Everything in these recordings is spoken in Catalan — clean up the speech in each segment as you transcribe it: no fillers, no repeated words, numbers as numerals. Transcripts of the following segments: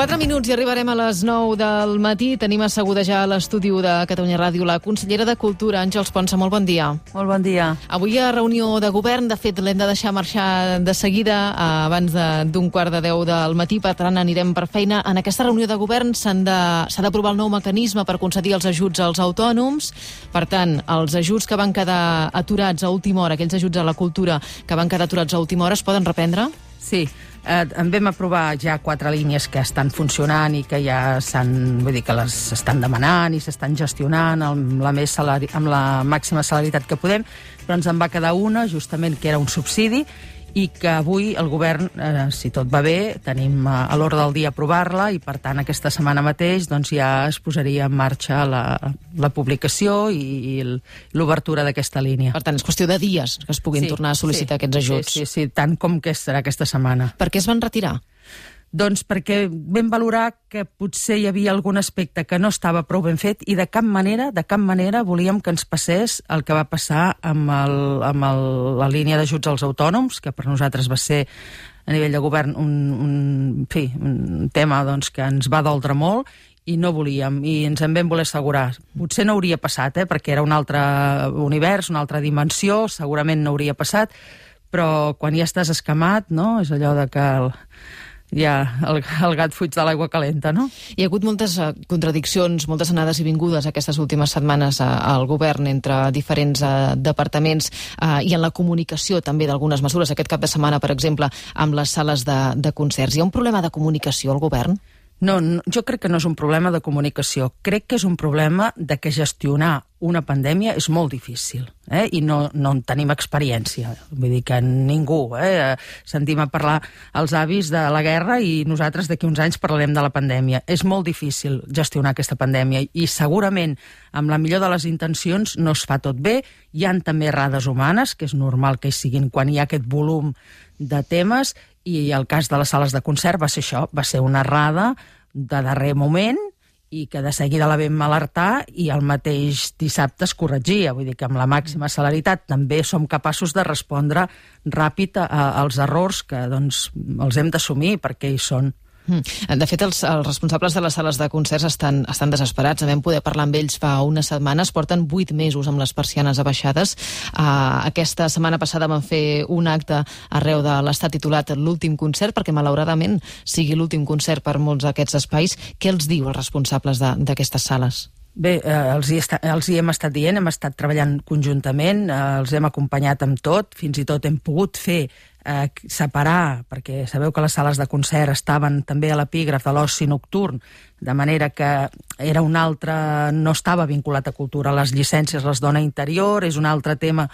4 minuts i arribarem a les 9 del matí. Tenim asseguda ja a l'estudi de Catalunya Ràdio la consellera de Cultura, Àngels Ponsa. Molt bon dia. Molt bon dia. Avui hi ha reunió de govern. De fet, l'hem de deixar marxar de seguida, abans d'un 9:15 del matí. Per tant, anirem per feina. En aquesta reunió de govern s'ha d'aprovar el nou mecanisme per concedir els ajuts als autònoms. Per tant, els ajuts que van quedar aturats a última hora, aquells ajuts a la cultura que van quedar aturats a última hora, es poden reprendre? Sí. En vam aprovar ja 4 línies que estan funcionant i que ja que les estan demanant i s'estan gestionant amb la màxima celeritat que podem, però ens en va quedar una, justament, que era un subsidi, i que avui el govern, si tot va bé, tenim a l'ordre del dia aprovar-la i, per tant, aquesta setmana mateix ja es posaria en marxa la publicació i l'obertura d'aquesta línia. Per tant, és qüestió de dies que es puguin tornar a sol·licitar aquests ajuts. Sí, tant com que serà aquesta setmana. Per què es van retirar? Doncs perquè vam valorar que potser hi havia algun aspecte que no estava prou ben fet i de cap manera volíem que ens passés el que va passar amb la línia d'ajuts als autònoms, que per nosaltres va ser a nivell de govern un tema que ens va doldre molt i no volíem, i ens en vam voler assegurar. Potser no hauria passat, perquè era un altre univers, una altra dimensió, segurament no hauria passat, però quan ja estàs escamat, no? És allò de que el gat fuig de l'aigua calenta, no? Hi ha hagut moltes contradiccions, moltes anades i vingudes aquestes últimes setmanes al govern entre diferents departaments i en la comunicació també d'algunes mesures. Aquest cap de setmana, per exemple, amb les sales de concerts. Hi ha un problema de comunicació al govern? No, jo crec que no és un problema de comunicació. Crec que és un problema de que gestionar una pandèmia és molt difícil, i no en tenim experiència. Vull dir que ningú, sentim a parlar els avis de la guerra i nosaltres d'aquí uns anys parlarem de la pandèmia. És molt difícil gestionar aquesta pandèmia i segurament amb la millor de les intencions no es fa tot bé. Hi ha també errades humanes, que és normal que hi siguin quan hi ha aquest volum de temes, i el cas de les sales de concert va ser això, va ser una errada de darrer moment i que de seguida la vam alertar i el mateix dissabte es corregia. Vull dir que amb la màxima celeritat també som capaços de respondre ràpid als errors que els hem d'assumir perquè hi són. De fet, els responsables de les sales de concerts estan desesperats. Vam poder parlar amb ells fa unes setmanes. Porten 8 mesos amb les persianes abaixades. Aquesta setmana passada van fer un acte arreu de l'estat titulat l'últim concert, perquè malauradament sigui l'últim concert per molts d'aquests espais. Què els diu els responsables d'aquestes sales? Bé, els hi hem estat dient, hem estat treballant conjuntament, els hem acompanyat amb tot, fins i tot hem pogut fer separar, perquè sabeu que les sales de concert estaven també a l'epígraf de l'oci nocturn, de manera que era un altre, no estava vinculat a cultura. Les llicències les dona Interior, és un altre tema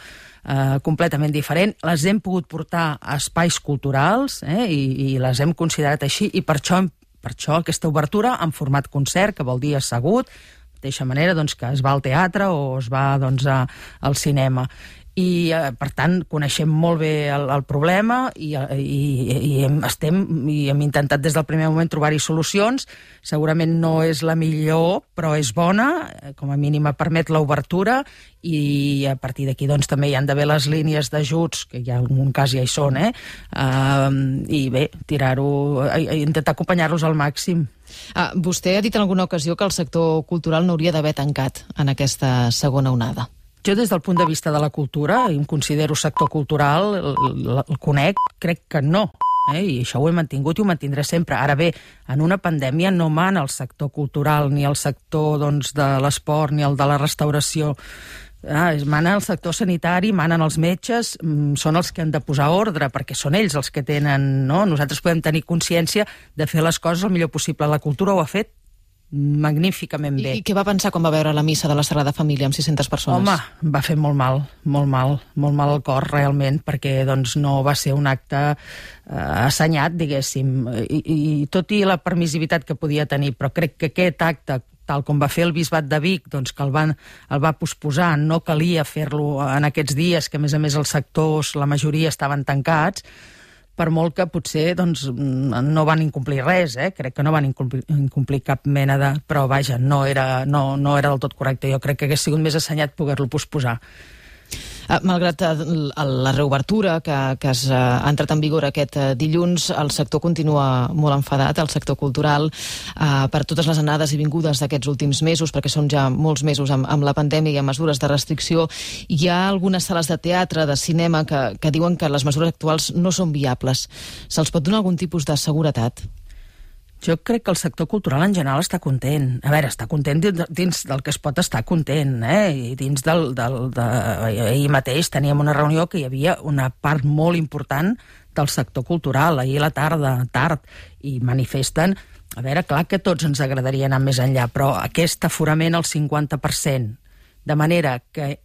completament diferent. Les hem pogut portar a espais culturals i les hem considerat així, i per això aquesta obertura en format concert, que vol dir assegut, de la mateixa manera que es va al teatre o es va al cinema. I, per tant, coneixem molt bé el problema i hem intentat des del primer moment trobar-hi solucions. Segurament no és la millor, però és bona, com a mínim permet l'obertura, i a partir d'aquí també hi han d'haver les línies d'ajuts, que ja en un cas ja hi són, i bé, intentar acompanyar-los al màxim. Vostè ha dit en alguna ocasió que el sector cultural no hauria d'haver tancat en aquesta segona onada. Jo, des del punt de vista de la cultura, em considero sector cultural, el conec, crec que no, i això ho he mantingut i ho mantindré sempre. Ara bé, en una pandèmia no mana el sector cultural, ni el sector de l'esport, ni el de la restauració. Mana el sector sanitari, manen els metges, són els que han de posar ordre, perquè són ells els que tenen, no? Nosaltres podem tenir consciència de fer les coses el millor possible. La cultura ho ha fet magníficament bé. I què va pensar quan va veure la missa de la Sagrada Família amb 600 persones? Home, va fer molt mal al cor, realment, perquè no va ser un acte assenyat, diguéssim, i tot i la permissivitat que podia tenir, però crec que aquest acte, tal com va fer el Bisbat de Vic, que el va posposar, no calia fer-lo en aquests dies, que a més els sectors, la majoria estaven tancats, per molt que potser no van incomplir res, crec que no van incomplir cap mena de... Però vaja, no era del tot correcte. Jo crec que hagués sigut més assenyat poder-lo posposar. Malgrat la reobertura que ha entrat en vigor aquest dilluns, el sector continua molt enfadat, el sector cultural, per totes les anades i vingudes d'aquests últims mesos, perquè són ja molts mesos amb la pandèmia i amb mesures de restricció. Hi ha algunes sales de teatre, de cinema, que diuen que les mesures actuals no són viables. Se'ls pot donar algun tipus de seguretat? Jo crec que el sector cultural en general està content. A veure, està content dins del que es pot estar content, I dins ahir mateix teníem una reunió que hi havia una part molt important del sector cultural, ahir a la tarda, tard, i manifesten. A veure, clar que tots ens agradaria anar més enllà, però aquest aforament al 50%, de manera que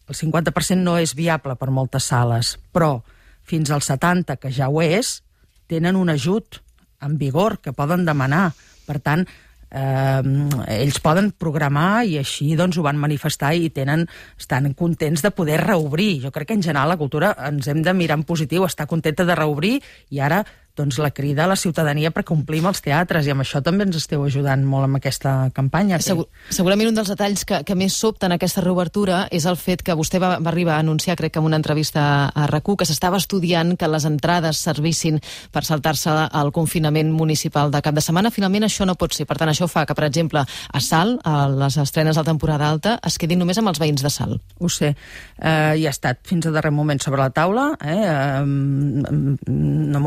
el 50% no és viable per moltes sales, però fins al 70%, que ja ho és, tenen un ajut en vigor que poden demanar. Per tant, ells poden programar i així doncs ho van manifestar i estan contents de poder reobrir. Jo crec que en general la cultura ens hem de mirar en positiu, estar contenta de reobrir, i ara doncs la crida a la ciutadania perquè omplim els teatres, i amb això també ens esteu ajudant molt amb aquesta campanya. Segurament un dels detalls que més sobten aquesta reobertura és el fet que vostè va arribar a anunciar, crec que en una entrevista a RAC1, que s'estava estudiant que les entrades servissin per saltar-se el confinament municipal de cap de setmana. Finalment això no pot ser. Per tant, això fa que, per exemple, a Salt, a les estrenes de temporada alta, es quedin només amb els veïns de Salt. Ho sé. I ha estat fins a darrer moment sobre la taula, amb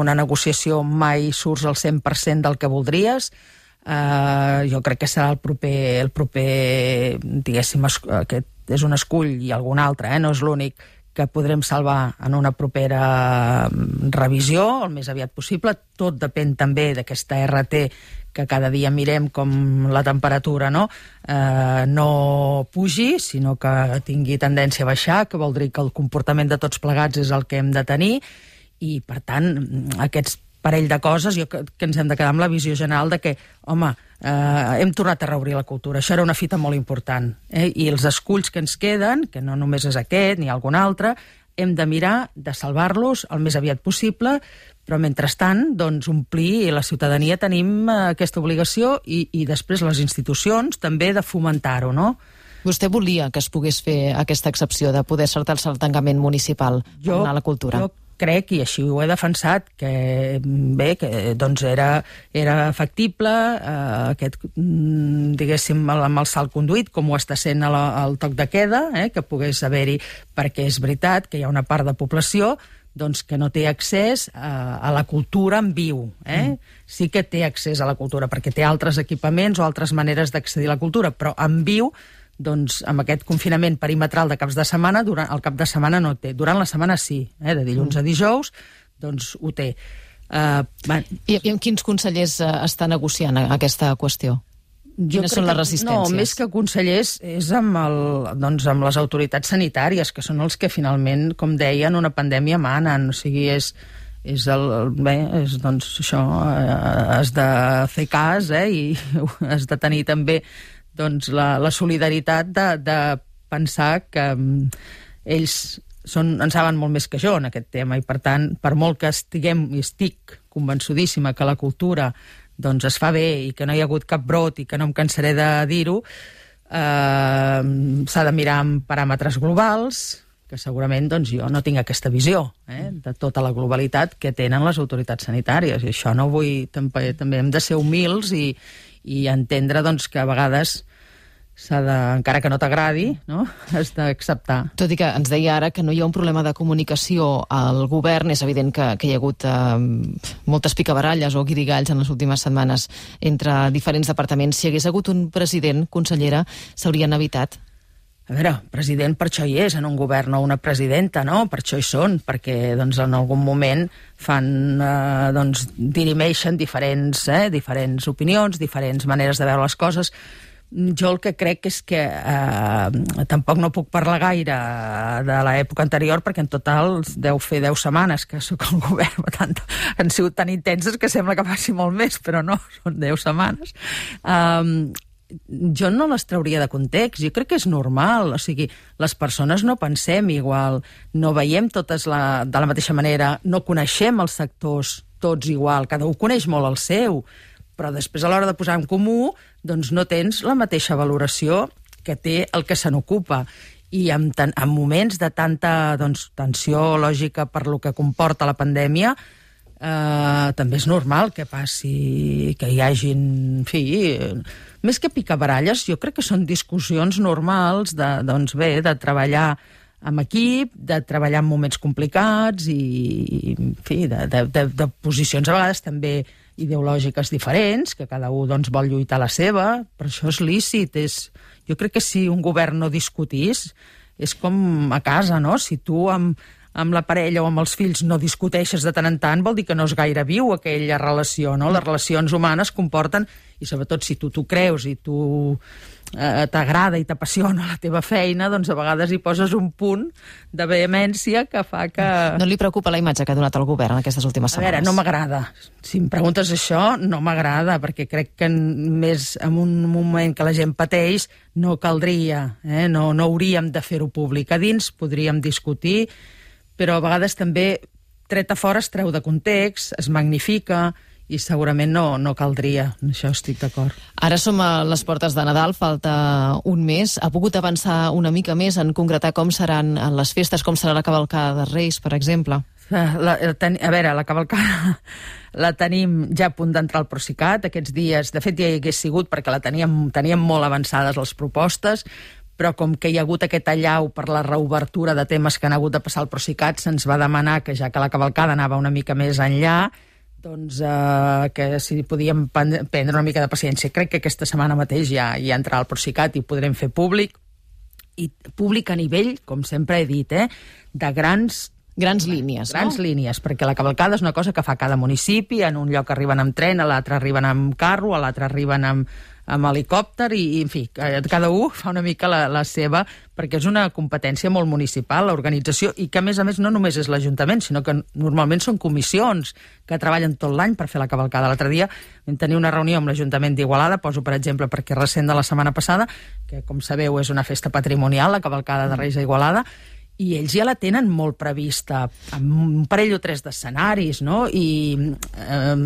una negociació mai surts al 100% del que voldries. Jo crec que serà el proper diguéssim, aquest és un escull i algun altre, no és l'únic, que podrem salvar en una propera revisió, el més aviat possible. Tot depèn també d'aquesta RT, que cada dia mirem com la temperatura no pugi, sinó que tingui tendència a baixar, que vol dir que el comportament de tots plegats és el que hem de tenir, i per tant aquests parell de coses, jo crec que ens hem de quedar amb la visió general de que, home, hem tornat a reobrir la cultura. Això era una fita molt important. I els esculls que ens queden, que no només és aquest ni algun altre, hem de mirar de salvar-los el més aviat possible, però mentrestant, doncs, omplir, i la ciutadania tenim aquesta obligació, i després les institucions també de fomentar-ho, no? Vostè volia que es pogués fer aquesta excepció de poder saltar-se el tancament municipal per anar a la cultura? Jo crec, i així ho he defensat, que bé, que doncs era factible aquest, diguéssim, amb el salt conduït, com ho està sent el toc de queda, que pogués haver-hi, perquè és veritat que hi ha una part de població doncs, que no té accés a la cultura en viu. Sí que té accés a la cultura, perquè té altres equipaments o altres maneres d'accedir a la cultura, però en viu, doncs, amb aquest confinament perimetral de caps de setmana, durant el cap de setmana no té. Durant la setmana sí, de dilluns a dijous, doncs ho té. I amb quins consellers està negociant aquesta qüestió? Quines són les resistències? No, més que consellers, és amb les autoritats sanitàries, que són els que finalment, com deien, una pandèmia manen. O sigui, doncs això, has de fer cas, i has de tenir també doncs la solidaritat de pensar que ells en saben molt més que jo en aquest tema, i per tant, per molt que estic convençudíssima que la cultura doncs es fa bé i que no hi ha hagut cap brot i que no em cansaré de dir-ho, s'ha de mirar amb paràmetres globals, que segurament doncs, jo no tinc aquesta visió de tota la globalitat que tenen les autoritats sanitàries, i això no vull... També hem de ser humils i entendre doncs, que a vegades encara que no t'agradi, no? Has d'acceptar. Tot i que ens deia ara que no hi ha un problema de comunicació al govern, és evident que hi ha hagut moltes picabaralles o guirigalls en les últimes setmanes entre diferents departaments. Si hi hagués hagut un president, consellera, s'haurien evitat? A veure, president per això hi és, en un govern, o una presidenta, no? Per això hi són, perquè doncs, en algun moment dirimeixen diferents opinions, diferents maneres de veure les coses. Jo el que crec és que tampoc no puc parlar gaire de l'època anterior, perquè en total deu fer 10 setmanes que sóc al govern, han sigut tan intenses que sembla que passi molt més, però no, són 10 setmanes. Jo no les trauria de context, jo crec que és normal, o sigui, les persones no pensem igual, no veiem totes de la mateixa manera, no coneixem els sectors tots igual, cada un coneix molt el seu, però després a l'hora de posar en comú doncs no tens la mateixa valoració que té el que se n'ocupa. i en moments de tanta tensió lògica per lo que comporta la pandèmia, també és normal que passi, que hi hagin, en fi, més que picabaralles, jo crec que són discussions normals de treballar amb equip, de treballar en moments complicats i en fi, de posicions a vegades també ideològiques diferents, que cada un vol lluitar la seva, però això és lícit. Jo crec que si un govern no discutís, és com a casa, no? Si tu amb la parella o amb els fills no discuteixes de tant en tant, vol dir que no és gaire viu aquella relació, no? Les relacions humanes comporten, i sobretot si tu t'ho creus i tu t'agrada i t'apassiona la teva feina, doncs a vegades hi poses un punt de vehemència que fa que... No li preocupa la imatge que ha donat el govern en aquestes últimes setmanes? A veure, no m'agrada. Si em preguntes això, no m'agrada, perquè crec que més en un moment que la gent pateix no caldria, no hauríem de fer-ho públic. A dins podríem discutir, però a vegades també tret a fora es treu de context, es magnifica, i segurament no caldria. Això estic d'acord. Ara som a les portes de Nadal, falta un mes. Ha pogut avançar una mica més en concretar com seran les festes, com serà la cavalcada de Reis, per exemple? A veure, la cavalcada la tenim ja a punt d'entrar al Procicat. Aquests dies, de fet, ja hi hagués sigut perquè teníem molt avançades les propostes, però com que hi ha hagut aquest allau per la reobertura de temes que han hagut de passar al Procicat, se'ns va demanar que, ja que la cavalcada anava una mica més enllà, doncs que si podíem prendre una mica de paciència. Crec que aquesta setmana mateix ja entrarà al Procicat i ho podrem fer públic, i públic a nivell, com sempre he dit, de grans línies, grans línies, perquè la cavalcada és una cosa que fa cada municipi. En un lloc arriben amb tren, a l'altre arriben amb carro, a l'altre arriben amb helicòpter, i en fi, cada un fa una mica la seva, perquè és una competència molt municipal, l'organització, i que a més no només és l'Ajuntament, sinó que normalment són comissions que treballen tot l'any per fer la cavalcada. L'altre dia vam tenir una reunió amb l'Ajuntament d'Igualada, poso per exemple perquè és recent de la setmana passada, que com sabeu és una festa patrimonial, la cavalcada de Reis a Igualada, i ells ja la tenen molt prevista, amb un parell o tres d'escenaris, no? I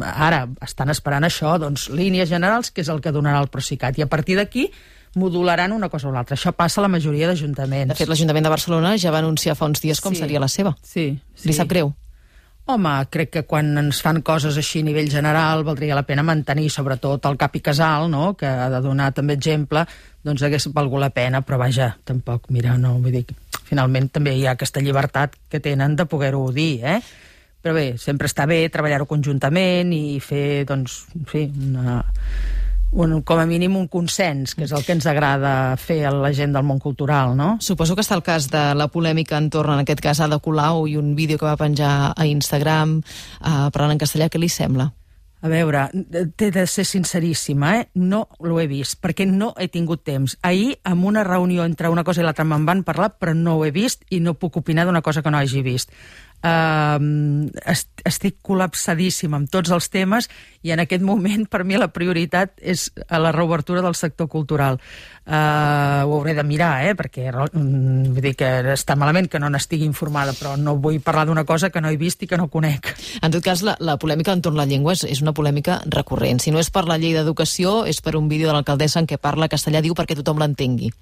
ara estan esperant això, doncs línies generals, que és el que donarà el Procicat, i a partir d'aquí modularan una cosa o l'altra. Això passa a la majoria d'ajuntaments. De fet, l'Ajuntament de Barcelona ja va anunciar fa uns dies com seria la seva. Sí. Li sap greu? Home, crec que quan ens fan coses així a nivell general valdria la pena mantenir, sobretot el cap i casal, no?, que ha de donar també exemple, doncs hagués valgut la pena, però vaja, tampoc, mira, no, vull dir, finalment també hi ha aquesta llibertat que tenen de poder-ho dir, Però bé, sempre està bé treballar-ho conjuntament i fer, doncs, en fi, com a mínim un consens, que és el que ens agrada fer a la gent del món cultural, no? Suposo que està el cas de la polèmica entorn, en aquest cas, Ada Colau i un vídeo que va penjar a Instagram parlant en castellà. Què li sembla? A veure, t'he de ser sinceríssima, no l'ho he vist, perquè no he tingut temps. Ahir, en una reunió entre una cosa i l'altra, me'n van parlar, però no ho he vist i no puc opinar d'una cosa que no hagi vist. Estic col·lapsadíssima amb tots els temes i en aquest moment per mi la prioritat és a la reobertura del sector cultural. Ho hauré de mirar, perquè vull dir que està malament que no n'estigui informada, però no vull parlar d'una cosa que no he vist i que no conec. En tot cas, la polèmica entorn la llengua és una polèmica recurrent. Si no és per la llei d'educació, és per un vídeo de l'alcaldessa en què parla castellà, diu perquè tothom l'entengui.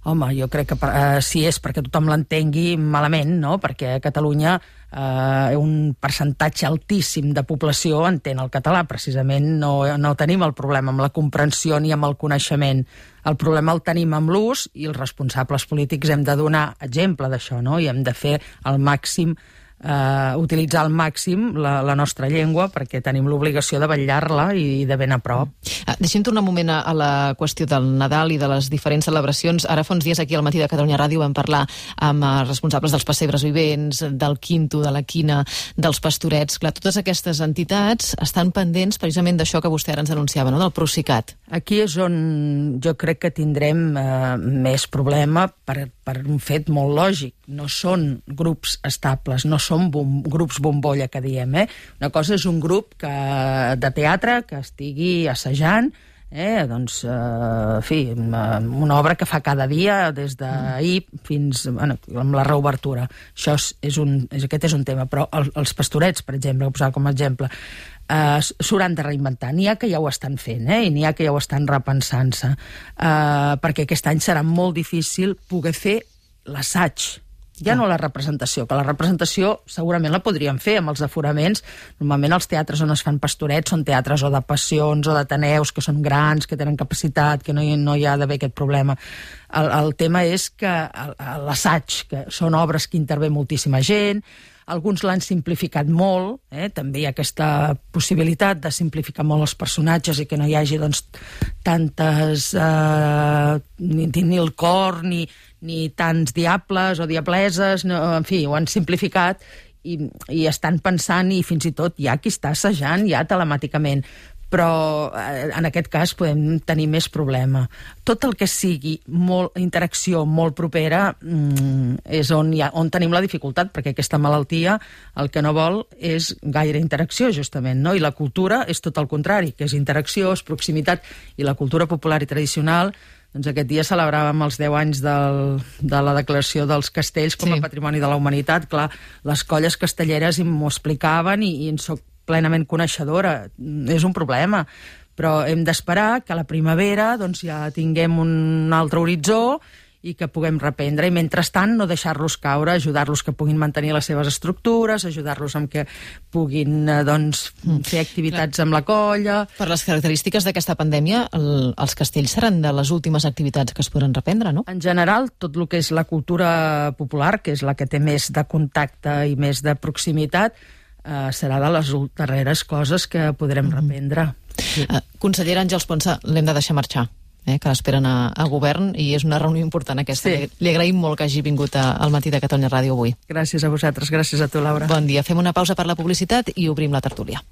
Home, jo crec que si és perquè tothom l'entengui, malament, no? Perquè a Catalunya un percentatge altíssim de població entén el català. Precisament no tenim el problema amb la comprensió ni amb el coneixement. El problema el tenim amb l'ús i els responsables polítics hem de donar exemple d'això, no? I hem de fer el màxim, utilitzar al màxim la nostra llengua, perquè tenim l'obligació de vetllar-la i de ben a prop. Deixem tornar un moment a la qüestió del Nadal i de les diferents celebracions. Ara fa uns dies aquí al Matí de Catalunya Ràdio vam parlar amb responsables dels pessebres vivents, del Quinto, de la Quina, dels Pastorets. Clar, totes aquestes entitats estan pendents precisament d'això que vostè ara ens denunciava, no?, del Procicat. Aquí és on jo crec que tindrem més problema per un fet molt lògic. No són grups estables, no són grups bombolla, que diem. Una cosa és un grup de teatre que estigui assajant, doncs, en fi, una obra que fa cada dia, des d'ahir fins amb la reobertura. Aquest és un tema, però els Pastorets, per exemple, que posava com a exemple, s'hauran de reinventar. N'hi ha que ja ho estan fent, i n'hi ha que ja ho estan repensant-se, perquè aquest any serà molt difícil poder fer l'assaig, ja no la representació, que la representació segurament la podríem fer amb els aforaments. Normalment els teatres on es fan pastorets són teatres o de passions o d'ateneus que són grans, que tenen capacitat, que no hi ha d'haver aquest problema. El tema és que l'assaig, que són obres que intervé moltíssima gent, alguns l'han simplificat molt, també hi ha aquesta possibilitat de simplificar molt els personatges i que no hi hagi doncs, tantes... ni el cor, ni tants diables o diableses, no, en fi, ho han simplificat i estan pensant i fins i tot hi ha qui està assajant ja telemàticament. Però en aquest cas podem tenir més problema. Tot el que sigui interacció molt propera és on tenim la dificultat, perquè aquesta malaltia el que no vol és gaire interacció, justament, no? I la cultura és tot el contrari, que és interacció, és proximitat, i la cultura popular i tradicional, doncs aquest dia celebràvem els 10 anys de la declaració dels castells com a Patrimoni de la Humanitat. Clar, les colles castelleres m'ho explicaven i en soc plenament coneixedora. És un problema, però hem d'esperar que a la primavera doncs, ja tinguem un altre horitzó i que puguem reprendre, i mentrestant no deixar-los caure, ajudar-los que puguin mantenir les seves estructures, ajudar-los amb que puguin fer activitats amb la colla. Per les característiques d'aquesta pandèmia, els castells seran de les últimes activitats que es podran reprendre, no? En general, tot el que és la cultura popular, que és la que té més de contacte i més de proximitat, serà de les darreres coses que podrem reprendre. Sí. Consellera Àngels Ponsa, l'hem de deixar marxar, que l'esperen a govern, i és una reunió important aquesta. Sí. Li agraïm molt que hagi vingut al Matí de Catalunya Ràdio avui. Gràcies a vosaltres, gràcies a tu, Laura. Bon dia. Fem una pausa per la publicitat i obrim la tertúlia.